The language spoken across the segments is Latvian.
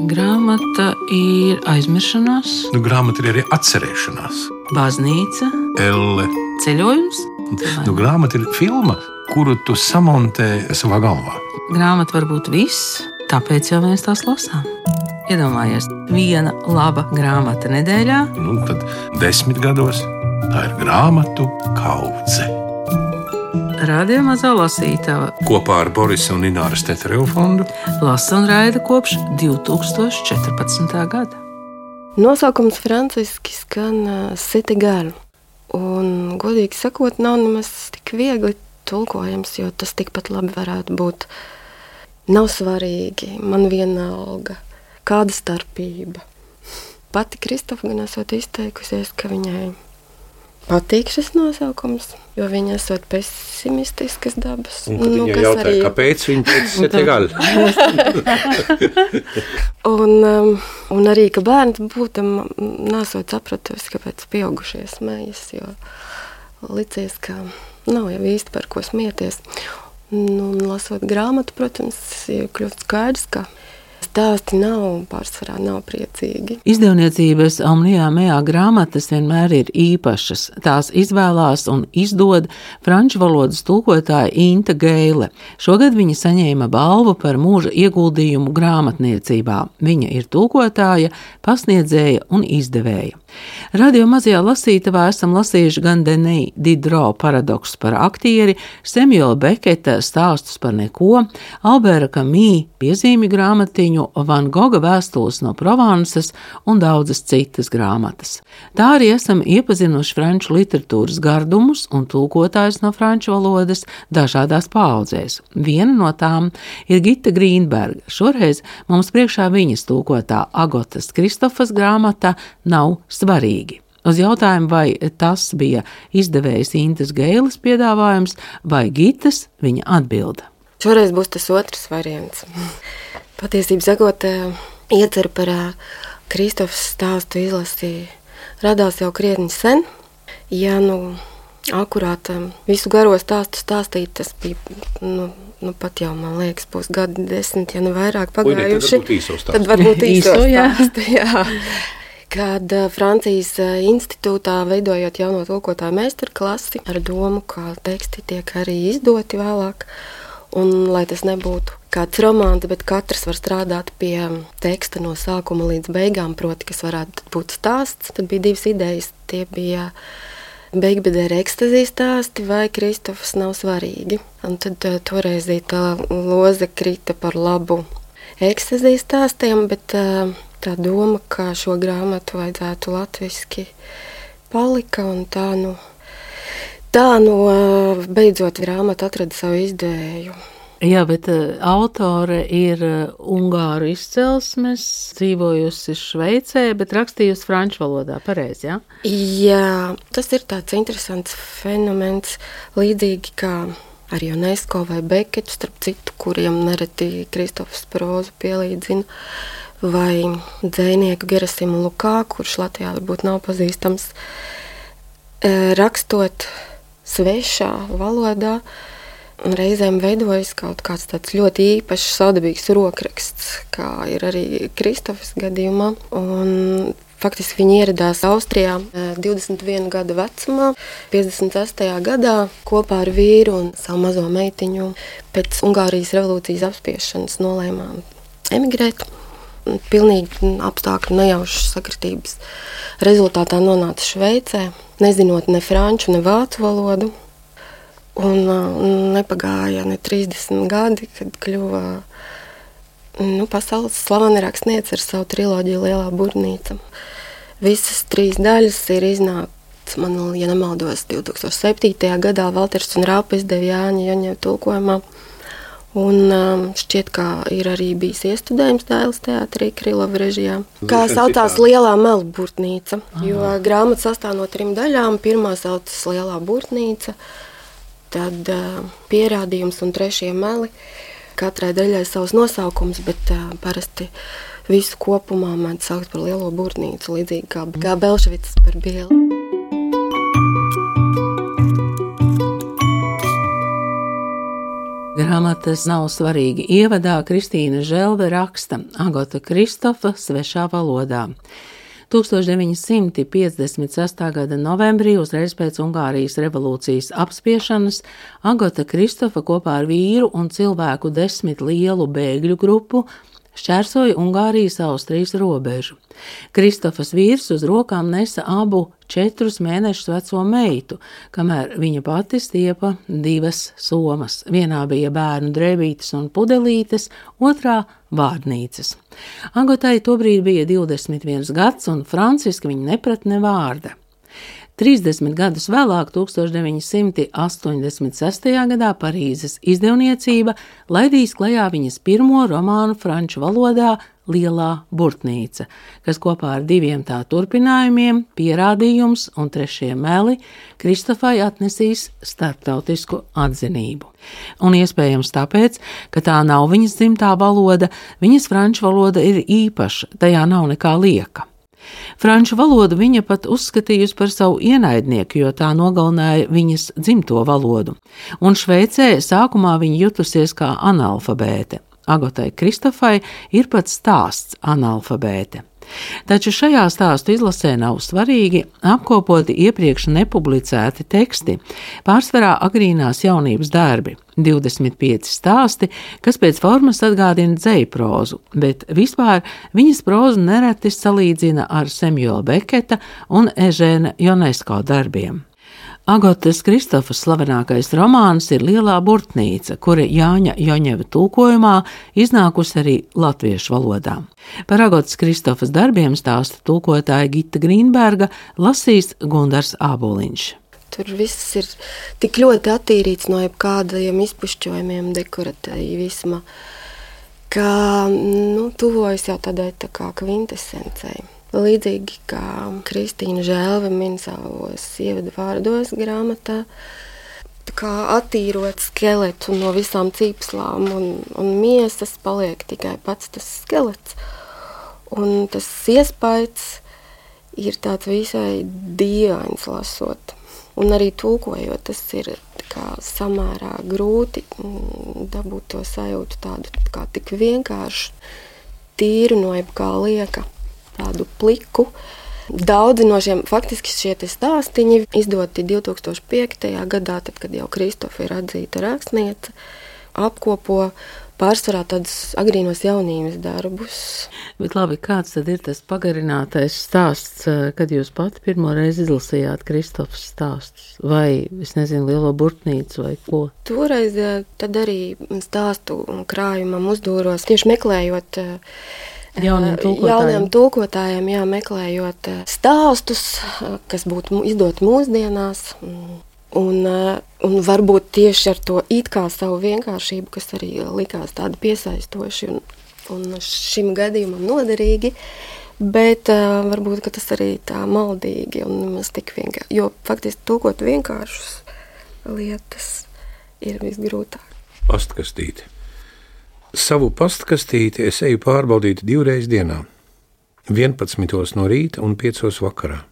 Grāmata ir aizmiršanās, Grāmata ir arī atcerēšanās. baznīca, Elle. ceļojums. Grāmata ir filma, kuru tu samontē savā galvā. Grāmata var būt viss, tāpēc jau mēs tās lasām. Iedomājies, viena laba grāmata nedēļā. Tad 10 gados tā ir grāmatu kaudze. Radio Mazā lasītava Kopā ar Borisa un Ināras Teterevu fondu lasa un raida kopš 2014. gada. Nosaukums franciski skan Cité-Gale. Un, godīgi sakot, nav nemaz tik viegli tulkojams, jo tas tikpat labi varētu būt. Nav svarīgi, man vienalga, kāda starpība. Pati Kristofa gan esot izteikusies, ka viņai patīk šis nosaukums, jo viņa esot pesimistiskas dabas. Un, viņa jautāja, kāpēc viņa teica Cité-Gale? Un arī, ka bērns būtam nesot sapratusi, kāpēc pieaugušie smējas, jo licies, ka nav jau īsti par ko smieties. Un lasot grāmatu, protams, ir kļūst skaidrs, ka stāsti pārsvarā nav priecīgi. Izdevniecības Omnijā Mejā grāmatas vienmēr ir īpašas. Tās izvēlās un izdod franču valodas tulkotāja Inta Geile. Šogad viņa saņēma balvu par mūža ieguldījumu grāmatniecībā. Viņa ir tulkotāja, pasniedzēja un izdevēja. Radio Mazajā lasītavā esam lasījuši gan Denis Diderot paradoksus par aktieri, Samuela Beketa stāstus par neko, Albera Camus piezīmju grāmatiņu, Van Gogha vēstules no Provansas un daudzas citas grāmatas. Tā arī esam iepazinuši franču literatūras gardumus un tulkotājus no franču valodas dažādās paaudzēs. Viena no tām ir Gita Grīnberga. Šoreiz mums priekšā viņas tulkotā Agotas Kristofas grāmata Nav svarīgi. Uz jautājumu, vai tas bija izdevējas Intas Geiles piedāvājums vai Gitas, viņa atbilda. Šoreiz būs tas otrs variants. Patiesībā sakot, ieceru par Kristofas stāstu izlasīju radās jau krietni sen. Ja akurāt visu garo stāstu stāstīt, tas bija, pat jau, man liekas, būs gadi 10, ja ne vairāk pagājuši. Tad varbūt īso stāstu, jā. Kad Francijas institūtā veidojot jauno tulkotāju meistarklasi ar domu, ka teksti tiek arī izdoti vēlāk, un lai tas nebūtu kāds romāns, bet katrs var strādāt pie teksta no sākuma līdz beigām, proti, kas varētu būt stāsts, tad bija divas idejas. Tie bija Beigbedēra ekstazijas stāsti vai Kristofas Nav svarīgi. Un tad toreiz tā loze krita par labu ekstazijas stāstiem, bet tā doma, ka šo grāmatu vajadzētu latviski palika, un tā beidzot grāmata atrada savu izdevēju. Jā, bet autore ir ungāru izcelsmes, dzīvojusi Šveicē, bet rakstījusi franču valodā, pareizi, jā? Jā, tas ir tāds interesants fenomens, līdzīgi kā ar UNESCO vai Beketu, starp citu, kuriem nereti Kristofas prózu pielīdzina, vai dzejnieku Gerasimu Lukā, kurš Latvijā varbūt nav pazīstams, rakstot svešā valodā, reizēm veidojas kaut kāds tāds ļoti īpašs saudabīgs rokraksts, kā ir arī Kristofas gadījumā. Un faktiski viņi ieradās Austrijā 21 gadu vecumā, 58. gadā kopā ar vīru un savu mazo meitiņu pēc Ungārijas revolūcijas apspiešanas nolēmām emigrēt. Pilnīgi apstākļu nejaušas sakritības rezultātā nonāca Šveicē, nezinot ne franču, ne vācu valodu. Un nepagāja ne 30 gadi, kad kļuva pasaules slavena rakstniece ar savu triloģiju Lielā burnīca. Visas 3 daļas ir iznākts, man, ja nemaldos, 2007. gadā Valters un Rāpa izdeva Jāņa Joņeva tulkojumā. Un šķiet, ka ir arī bijis iestudējums Dailes teātrī Krylova režijā. Kā saucās Lielā melu burtnīca, jo grāmata sastāv no 3 daļām. Pirmā saucas Lielā burtnīca, tad pierādījums un 3 meli. Katrai daļai savs nosaukums, bet parasti visu kopumā mēdz saukt par Lielo burtnīcu, līdzīgi kā Belševicas par Bieli. Grāmatas Nav svarīgi ievadā Kristīna Želve raksta Agota Kristofa svešā valodā. 1956. gada novembrī, uzreiz pēc Ungārijas revolūcijas apspiešanas, Agota Kristofa kopā ar vīru un cilvēku 10 lielu bēgļu grupu šķērsoja Ungārijas-Austrijas robežu. Kristofas vīrs uz rokām nesa abu 4 mēnešus veco meitu, kamēr viņa pati stiepa 2 somas. Vienā bija bērnu drēbītes un pudelītes, otrā vārdnīcas. Agotai tobrīd bija 21 gads, un franciski viņa neprat ne vārda. 30 gadus vēlāk, 1986. gadā, Parīzes izdevniecība laidīs klajā viņas pirmo romānu franču valodā Lielā burtnīca, kas kopā ar 2 tā turpinājumiem, Pierādījums un 3. meli, Kristofai atnesīs starptautisku atzinību. Un iespējams tāpēc, ka tā nav viņas dzimtā valoda, viņas franču valoda ir īpaša, tajā nav nekā lieka. Franču valodu viņa pat uzskatījusi par savu ienaidnieku, jo tā nogalināja viņas dzimto valodu, un Šveicē sākumā viņa jutusies kā analfabēte. Agotai Kristofai ir pat stāsts analfabēte. Taču šajā stāstu izlasē nav svarīgi apkopoti iepriekš nepublicēti teksti, pārsvarā agrīnās jaunības darbi, 25 stāsti, kas pēc formas atgādina dzejprozu, bet vispār viņas prozu nereti salīdzina ar Samuela Beketa un Ežēna Ionesko darbiem. Agotas Kristofas slavenākais romāns ir Lielā burtnīca, kura Jāņa Joņeva tulkojumā iznākusi arī latviešu valodā. Par Agotas Kristofas darbiem stāsta tulkotāja Gita Grīnberga, lasīs Gundars Āboliņš. Tur viss ir tik ļoti attīrīts no jebkādiem izpušķojumiem, dekoratīvisma, ka tuvojas jau tādai tā kā kvintesencei. Līdzīgi kā Kristīna Želve min savos ievadu vārdos grāmatā, tā kā attīrot skeletu no visām cīpslām un miesas, paliek tikai pats tas skelets. Un tas iespaids ir tāds visai dīvains lasot. Un arī tulkojot, tas ir kā samērā grūti dabūt to sajūtu tādu kā tik vienkāršu, tīru no jebkā lieka. Tādu pliku. Daudzi no šiem faktiski šie stāstiņi izdoti 2005. gadā, tad, kad jau Kristofa ir atzīta rakstniece, apkopo pārsvarā tādus agrīnos jaunības darbus. Bet labi, kāds tad ir tas pagarinātais stāsts, kad jūs pati pirmo reizi izlasījāt Kristofas stāstus? Vai, es nezinu, Lielo burtnīcu vai ko? Toreiz tad arī stāstu krājumam uzdūros, tieši meklējot jauniem tulkotājiem, meklējot stāstus, kas būtu izdoti mūsdienās, un varbūt tieši ar to it kā savu vienkāršību, kas arī likās tādi piesaistoši un šim gadījumam noderīgi, bet varbūt, ka tas arī tā maldīgi un nemaz tik vienkārši, jo faktiski tulkot vienkāršus lietas ir visgrūtāk. Pastkastīti. Savu pastkastīti es eju pārbaudīt 2 reizes dienā, 11 no rīta un 5 vakarā.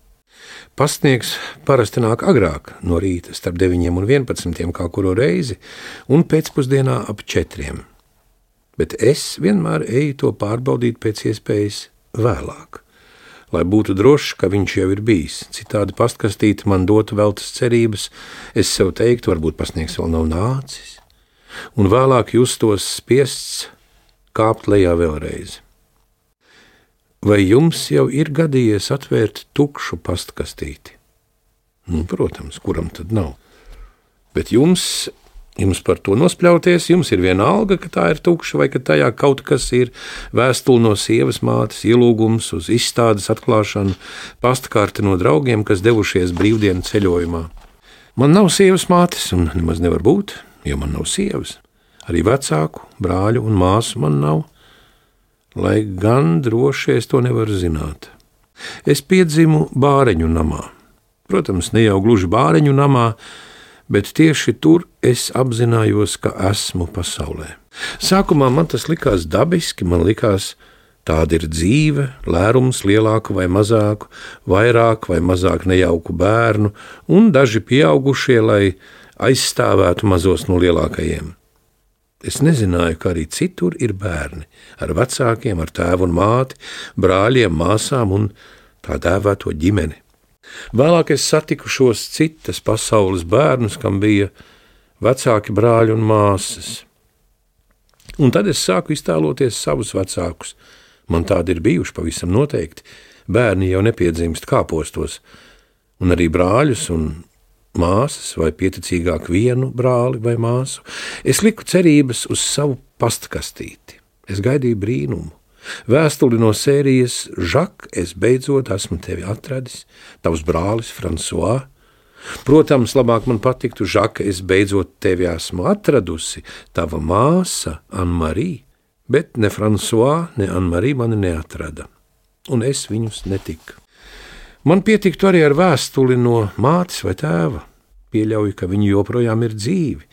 Pastnieks parasti nāk agrāk no rīta, starp 9 un 11 kā kuru reizi, un pēcpusdienā ap 4. Bet es vienmēr eju to pārbaudīt pēc iespējas vēlāk, lai būtu drošs, ka viņš jau ir bijis. Citādi pastkastīti man dotu veltas cerības, es sev teiktu, varbūt pastnieks vēl nav nācis. Un vēlāk justos spiests kāpt lejā vēlreiz. Vai jums jau ir gadījies atvērt tukšu pastkastīti? Protams, kuram tad nav. Bet jums par to nospļauties, jums ir vienalga, ka tā ir tukša vai ka tajā kaut kas ir, vēstule no sievas mātes, ielūgums uz izstādes atklāšanu, pastkarte no draugiem, kas devušies brīvdienu ceļojumā. Man nav sievas mātes un nemaz nevar būt, jo man nav sievas. Arī vecāku, brāļu un māsu man nav, lai gan droši es to nevaru zināt. Es piedzimu bāreņu namā. Protams, ne jau gluži bāreņu namā, bet tieši tur es apzinājos, ka esmu pasaulē. Sākumā man tas likās dabiski, man likās, tāda ir dzīve, lērums lielāku vai mazāku, vairāk vai mazāk nejauku bērnu un daži pieaugušie, lai aizstāvētu mazos no lielākajiem. Es nezināju, ka arī citur ir bērni, ar vecākiem, ar tēvu un māti, brāļiem, māsām un tā dēvēto ģimeni. Vēlāk es satiku šos citas pasaules bērnus, kam bija vecāki brāļi un māsas. Un tad es sāku iztēloties savus vecākus. Man tādi ir bijuši pavisam noteikti. Bērni jau nepiedzimst kāpostos, un arī brāļus un māsas, vai pieticīgāk vienu brāli vai māsu. Es liku cerības uz savu pastkastīti. Es gaidīju brīnumu. Vēstuli no sērijas Žak, es beidzot esmu tevi atradis, tavs brālis François. Protams, labāk man patiktu Žaka, es beidzot tevi esmu atradusi, tava māsa Anne-Marie, bet ne François, ne Anne-Marie mani neatrada, un es viņus netiku. Man pietiktu arī ar vēstuli no mātes vai tēva. Pieļauju, ka viņi joprojām ir dzīvi,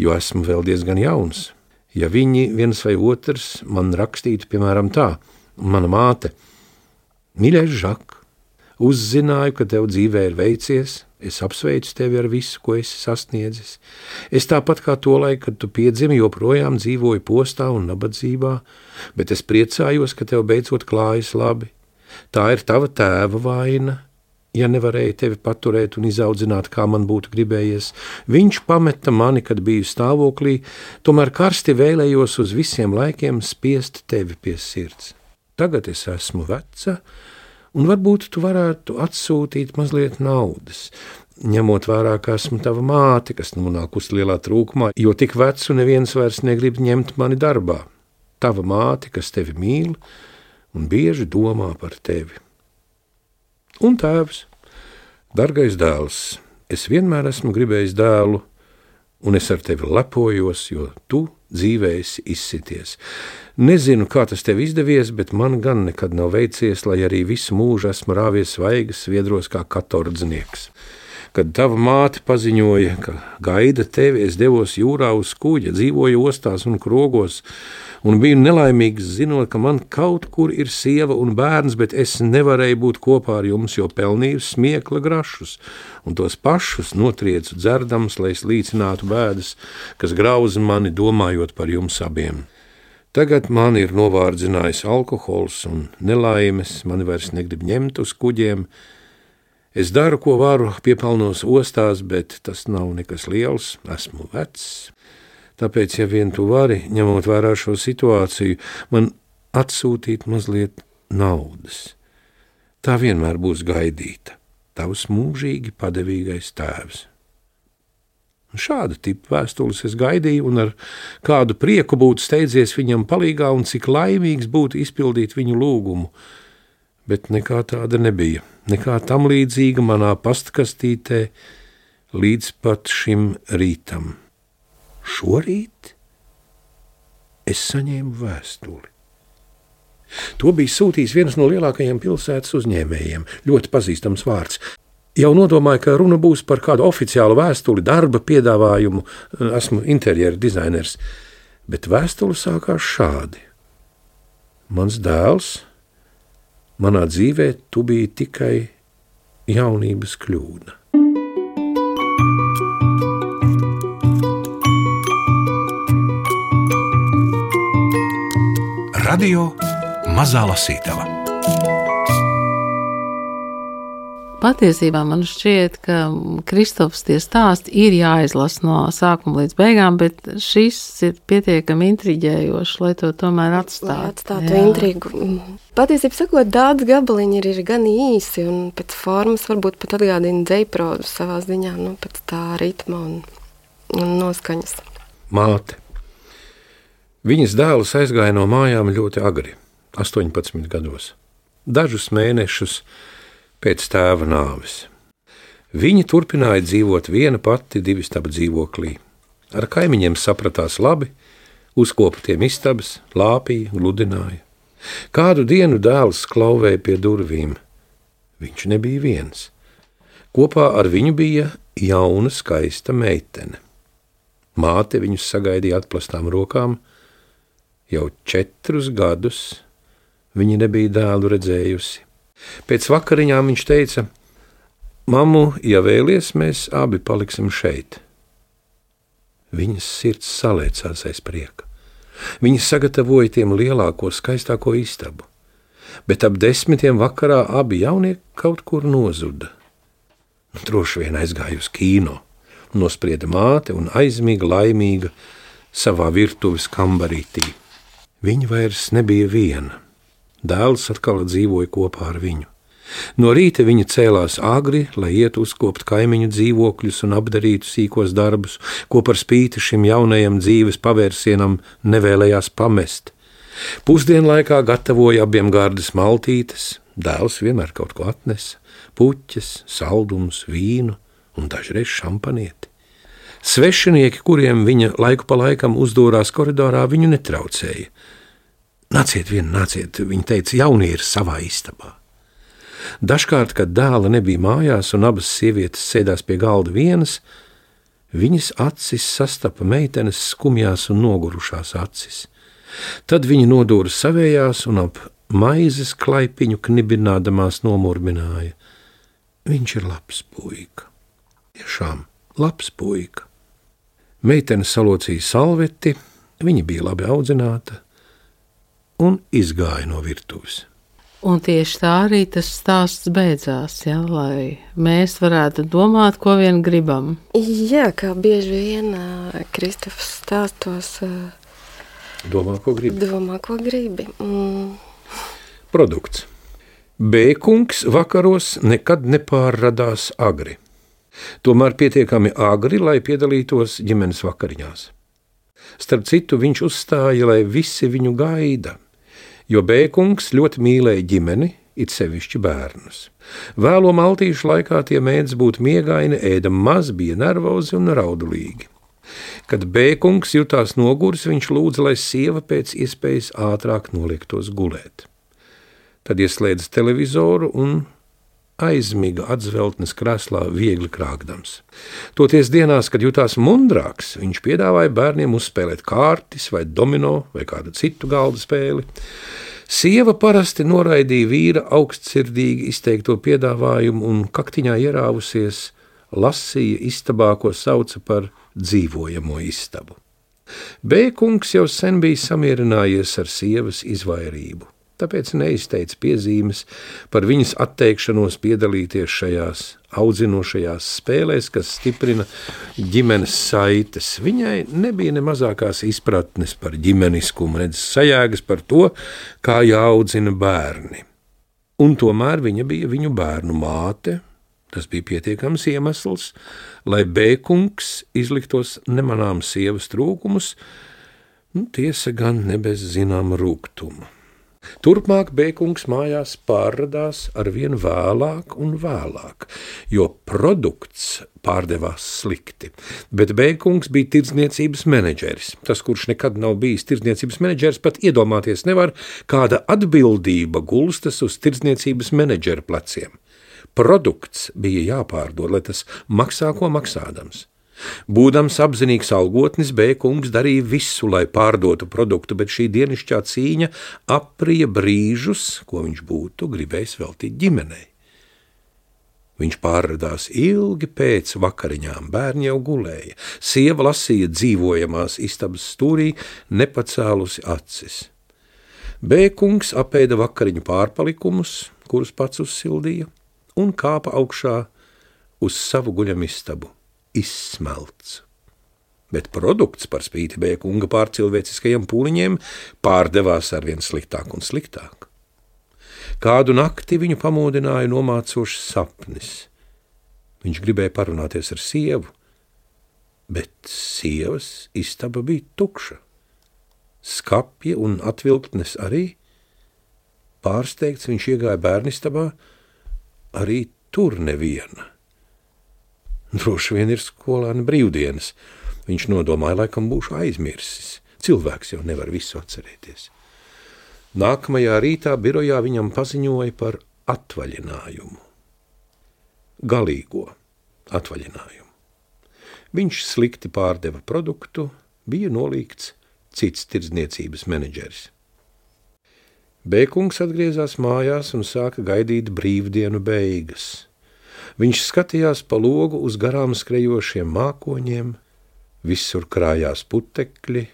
jo esmu vēl diezgan jauns. Ja viņi viens vai otrs man rakstītu, piemēram, tā, mana māte: Mīļais Žak, uzzināju, ka tev dzīvē ir veicies, es apsveicu tevi ar visu, ko esi sasniedzis. Es tāpat kā tolaik, kad tu piedzimi, joprojām dzīvoju postā un nabadzībā, bet es priecājos, ka tev beidzot klājas labi. Tā ir tava tēva vaina, ja nevarēja tevi paturēt un izaudzināt, kā man būtu gribējies. Viņš pameta mani, kad biju stāvoklī, tomēr karsti vēlējos uz visiem laikiem spiest tevi pie sirds. Tagad es esmu veca, un varbūt tu varētu atsūtīt mazliet naudas, ņemot vērā, ka esmu tava māte, kas nonākusi lielā trūkumā, jo tik vecu neviens vairs negrib ņemt mani darbā. Tava māte, kas tevi mīl un bieži domā par tevi. Un tēvs: Dargais dēls, es vienmēr esmu gribējis dēlu, un es ar tevi lepojos, jo tu dzīvē esi izsities. Nezinu, kā tas tev izdevies, bet man gan nekad nav veicies, lai arī visu mūžu esmu rāvies svaigas sviedros kā katordznieks. Kad tava māte paziņoja, ka gaida tevi, es devos jūrā uz kuģa, dzīvoju ostās un krogos, un biju nelaimīgs, zinot, ka man kaut kur ir sieva un bērns, bet es nevarēju būt kopā ar jums, jo pelnīju smiekla grašus, un tos pašus notriecu dzerdams, lai es līdzinātu bēdas, kas grauza mani, domājot par jums abiem. Tagad man ir novārdzinājis alkohols un nelaimes, mani vairs negrib ņemt uz kuģiem. Es daru, ko varu, piepelnos ostās, bet tas nav nekas liels, esmu vecs. Tāpēc, ja vien tu vari, ņemot vērā šo situāciju, man atsūtīt mazliet naudas. Tā vienmēr būs gaidīta, tavs mūžīgi padevīgais tēvs. Šāda tipa vēstules es gaidīju, un ar kādu prieku būtu steidzies viņam palīgā, un cik laimīgs būtu izpildīt viņu lūgumu. Bet nekā tāda nebija, nekā tam līdzīga manā pastkastītē līdz pat šim rītam. Šorīt es saņēmu vēstuli. To bija sūtījis viens no lielākajiem pilsētas uzņēmējiem, ļoti pazīstams vārds. Jau nodomāju, ka runa būs par kādu oficiālu vēstuli, darba piedāvājumu, esmu interjera dizainers, bet vēstule sākās šādi. Mans dēls, manā dzīvē tu biji tikai jaunības kļūda. Radio Mazā Lasītava. Patiesībā man šķiet, ka Kristofs tie stāsti ir jāizlasa no sākuma līdz beigām, bet šis ir pietiekami intriģējošs, lai to tomēr atstātu intrigu. Patiesībā sakot, daudz gabaliņi ir gan īsi, un pēc formas varbūt pat atgādina dzejprozu savā ziņā, pēc tā ritma un noskaņas. Māte. Viņas dēls aizgāja no mājām ļoti agri, 18 gados, dažus mēnešus pēc tēva nāves. Viņa turpināja dzīvot viena pati 2 stabu dzīvoklī. Ar kaimiņiem sapratās labi, uzkopa tiem istabas, lāpīja, gludināja. Kādu dienu dēls klauvēja pie durvīm. Viņš nebija viens. Kopā ar viņu bija jauna, skaista meitene. Māte viņus sagaidīja atplastām rokām. Jau 4 gadus viņa nebija dēlu redzējusi. Pēc vakariņām viņš teica: Mammu, ja vēlies, mēs abi paliksim šeit. Viņas sirds salēcās aiz prieka. Viņa sagatavoja tiem lielāko, skaistāko istabu, bet ap 10 vakarā abi jaunieki kaut kur nozuda. Droši vien aizgāja uz kino, nosprieda māte un aizmiga laimīga savā virtuves kambarītī. Viņa vairs nebija viena. Dēls atkal dzīvoja kopā ar viņu. No rīta viņa cēlās agri, lai ietu uzkopt kaimiņu dzīvokļus un apdarītu sīkos darbus, ko par spīti šim jaunajam dzīves pavērsienam nevēlējās pamest. Pusdienlaikā gatavoja abiem gardas maltītes, dēls vienmēr kaut ko atnesa, puķes, saldumus, vīnu un dažreiz šampanieti. Svešinieki, kuriem viņa laiku pa laikam uzdūrās koridorā, viņu netraucēja. Nāciet vien, nāciet, viņa teica, jaunie ir savā istabā. Dažkārt, kad dēla nebija mājās un abas sievietes sēdās pie galda vienas, viņas acis sastapa meitenes skumjās un nogurušās acis. Tad viņa nodūra savējās un ap maizes klaipiņu knibinādamās nomurmināja. Viņš ir labs puika. Tiešām labs puika. Meitene salocīja salveti, viņa bija labi audzināta un izgāja no virtuves. Un tieši tā arī tas stāsts beidzās, ja, lai mēs varētu domāt, ko vien gribam. Jā, kā bieži vien Kristofs stāstos Domā, ko gribi. Produkts. B-kungs vakaros nekad nepārradās agri. Tomēr pietiekami agri, lai piedalītos ģimenes vakariņās. Starp citu, viņš uzstāja, lai visi viņu gaida, jo B-kungs ļoti mīlēja ģimeni, it sevišķi bērnus. Vēlo maltīšu laikā tie mēdz būt miegaini, ēda maz, bija nervozi un raudulīgi. Kad B-kungs jutās noguris, viņš lūdza, lai sieva pēc iespējas ātrāk noliektos gulēt. Tad ieslēdza televizoru un aizmiga atzveltnes krēslā viegli krākdams. Toties dienās, kad jutās mundrāks, viņš piedāvāja bērniem uzspēlēt kārtis vai domino vai kādu citu galda spēli. Sieva parasti noraidīja vīra augstsirdīgi izteikto piedāvājumu un kaktiņā ierāvusies lasīja istabā, ko sauca par dzīvojamo istabu. B-kungs jau sen bija samierinājies ar sievas izvairību, tāpēc neizteica piezīmes par viņas atteikšanos piedalīties šajās audzinošajās spēlēs, kas stiprina ģimenes saites. Viņai nebija ne mazākās izpratnes par ģimeniskumu, nedz sajēgas par to, kā jāaudzina bērni. Un tomēr viņa bija viņu bērnu māte. Tas bija pietiekams iemesls, lai B-kungs izliktos nemanāms sievas trūkumus, tiesa gan ne bez zināma rūgtuma. Turpmāk B-kungs mājās pārradās arvien vēlāk un vēlāk, jo produkts pārdevās slikti. Bet B-kungs bija tirdzniecības menedžeris. Tas, kurš nekad nav bijis tirdzniecības menedžeris, pat iedomāties nevar, kāda atbildība gulstas uz tirdzniecības menedžera pleciem. Produkts bija jāpārdod, lai tas maksā, ko maksādams. Būdams apzinīgs algotnis, B-kungs darīja visu, lai pārdotu produktu, bet šī dienišķā cīņa aprija brīžus, ko viņš būtu gribējis veltīt ģimenei. Viņš pārradās ilgi pēc vakariņām, bērni jau gulēja, sieva lasīja dzīvojamās istabas stūrī, nepacēlusi acis. B-kungs apēda vakariņu pārpalikumus, kurus pats uzsildīja, un kāpa augšā uz savu guļamistabu, izsmelts. Bet produkts par spīti B-kunga pārcilvēciskajiem pūliņiem pārdevās arvien sliktāk un sliktāk. Kādu nakti viņu pamodināja nomācošs sapnis. Viņš gribēja parunāties ar sievu, bet sievas istaba bija tukša. Skapja un atvilktnes arī. Pārsteigts viņš iegāja bērnistabā, arī tur neviena. Droši vien ir skolēna brīvdienas. Viņš nodomāja, laikam būšu aizmirsis. Cilvēks jau nevar visu atcerēties. Nākamajā rītā birojā viņam paziņoja par atvaļinājumu. Galīgo atvaļinājumu. Viņš slikti pārdeva produktu, bija nolīgts cits tirdzniecības menedžeris. B-kungs atgriezās mājās un sāka gaidīt brīvdienu beigas. Viņš skatījās pa logu uz garām skrejošiem mākoņiem, Visur krājās putekļi,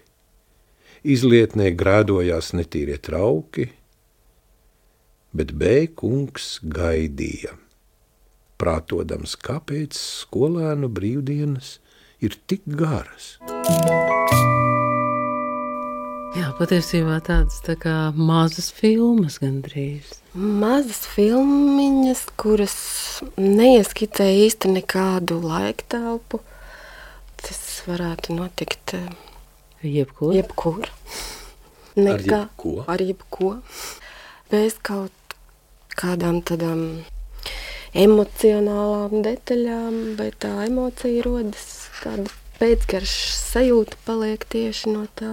izlietnē grēdojās netīrie trauki, bet B-kungs gaidīja, prātodams, kāpēc skolēnu brīvdienas ir tik garas. Jā, patiesībā tādas tā kā mazas filmas gandrīz. Mazas filmiņas, kuras neieskicē īsti nekādu laiktelpu. Tas varētu notikt Jebkur. Ar jebko. Bez kaut kādām tādām emocionālām detaļām, bet tā emocija rodas, tāda pēcgaršas sajūta paliek tieši no tā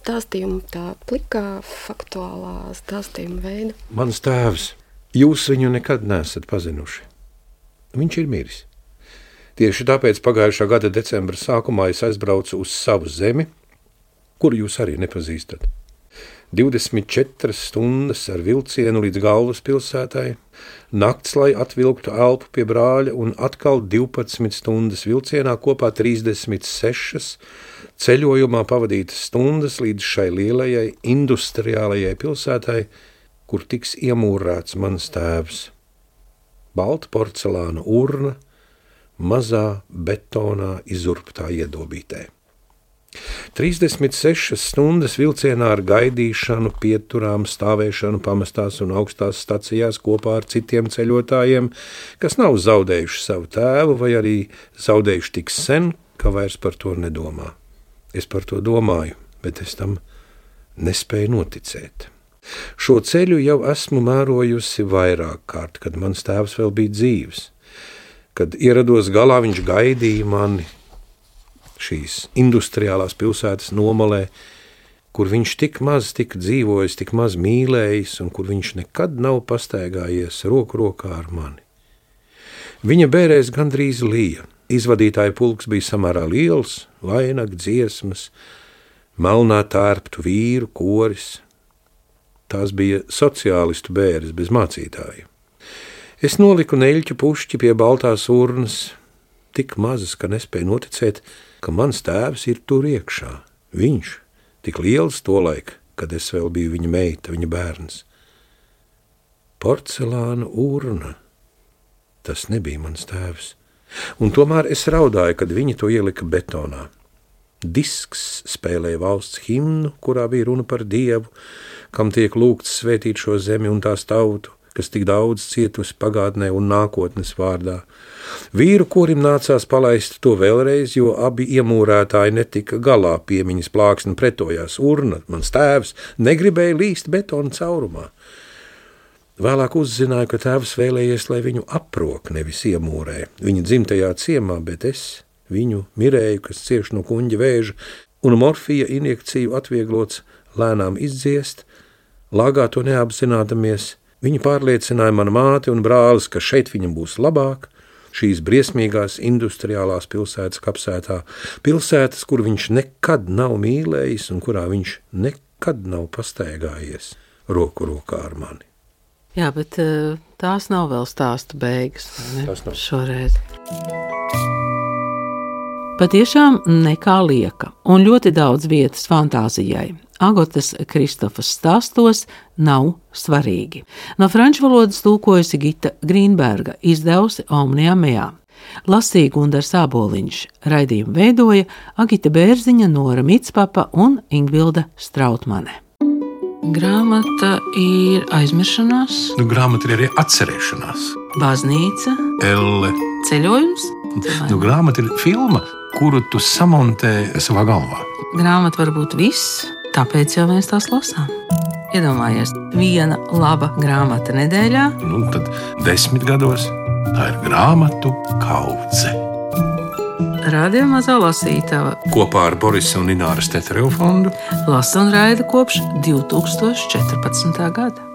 stāstījuma, tā plikā, faktuālā stāstījuma veida. Mans tēvs, jūs viņu nekad neesat pazinuši. Viņš ir miris. Tieši tāpēc pagājušā gada decembra sākumā es aizbraucu uz savu zemi, kuru jūs arī nepazīstat. 24 stundas ar vilcienu līdz galvaspilsētai, nakts, lai atvilktu elpu pie brāļa, un atkal 12 stundas vilcienā, kopā 36 ceļojumā pavadītas stundas līdz šai lielajai industriālajai pilsētai, kur tiks iemūrēts mans tēvs. Balta porcelāna urna, mazā betonā izurptā iedobītē. 36 stundas vilcienā ar gaidīšanu, pieturām, stāvēšanu pamestās un augstās stacijās kopā ar citiem ceļotājiem, kas nav zaudējuši savu tēvu vai arī zaudējuši tik sen, ka vairs par to nedomā. Es par to domāju, bet es tam nespēju noticēt. Šo ceļu jau esmu mērojusi vairāk kārt, kad mans tēvs vēl bija dzīvs. Kad ierados galā, viņš gaidīja mani šīs industriālās pilsētas nomalē, kur viņš tik maz tika dzīvojis, tik maz mīlējis un kur viņš nekad nav pastaigājies roku rokā ar mani. Viņa bērēs gandrīz lija. Izvadītāja pulks bija samērā liels, vainag, dziesmas, melnā tērptu vīru koris. Tās bija sociālistu bēres bez mācītāja. Es noliku neļķu pušķi pie baltās urnas, tik mazas, ka nespēju noticēt, ka mans tēvs ir tur iekšā. Viņš, tik liels tolaik, kad es vēl biju viņa meita, viņa bērns. Porcelāna urna, tas nebija mans tēvs. Un tomēr es raudāju, kad viņi to ielika betonā. Disks spēlēja valsts himnu, kurā bija runa par Dievu, kam tiek lūgts svētīt šo zemi un tās tautu, kas tik daudz cietusi pagātnē un nākotnes vārdā. Vīru korim nācās palaist to vēlreiz, jo abi iemūrētāji netika galā, piemiņas plāksne pretojās. Urna, mans tēvs, negribēja līst betona caurumā. Vēlāk uzzināju, ka tēvs vēlējies, lai viņu aprok, nevis iemūrē. Viņa dzimtajā ciemā, bet es viņu mirēju, kas cieš no kuņģa vēža, un morfija injekciju atvieglots lēnām izdziest, lāgā to neapzinādamies. Viņa pārliecināja manu māti un brālis, ka šeit viņam būs labāk, šīs briesmīgās industriālās pilsētas kapsētā, pilsētas, kur viņš nekad nav mīlējis un kurā viņš nekad nav pastaigājies roku rokā ar mani. Jā, bet tās nav vēl stāsta beigas, vai ne? Tas nav. Šoreiz. Patiešām nekā lieka un ļoti daudz vietas fantāzijai. Agotas Kristofas stāstos nav svarīgi. No franču valodas tulkojusi Gita Grīnberga, izdevusi Omnia Mea. Lasīja Gundars Āboliņš, raidījumu veidoja Agita Bērziņa, Nora Mitspapa un Ingvilda Strautmane. Grāmata ir aizmiršanās, Grāmata ir arī atcerēšanās. baznīca, Elle. ceļojums. Grāmata ir filma, kuru tu samontē savā galvā. Grāmata var būt viss, tāpēc jau mēs tās lasām. Iedomājies, viena laba grāmata nedēļā. Tad 10 gados tā ir grāmatu kaudze. Radio Mazā lasītava Kopā ar Borisa un Ināras Teterevu fondu lasa un raida kopš 2014. gada.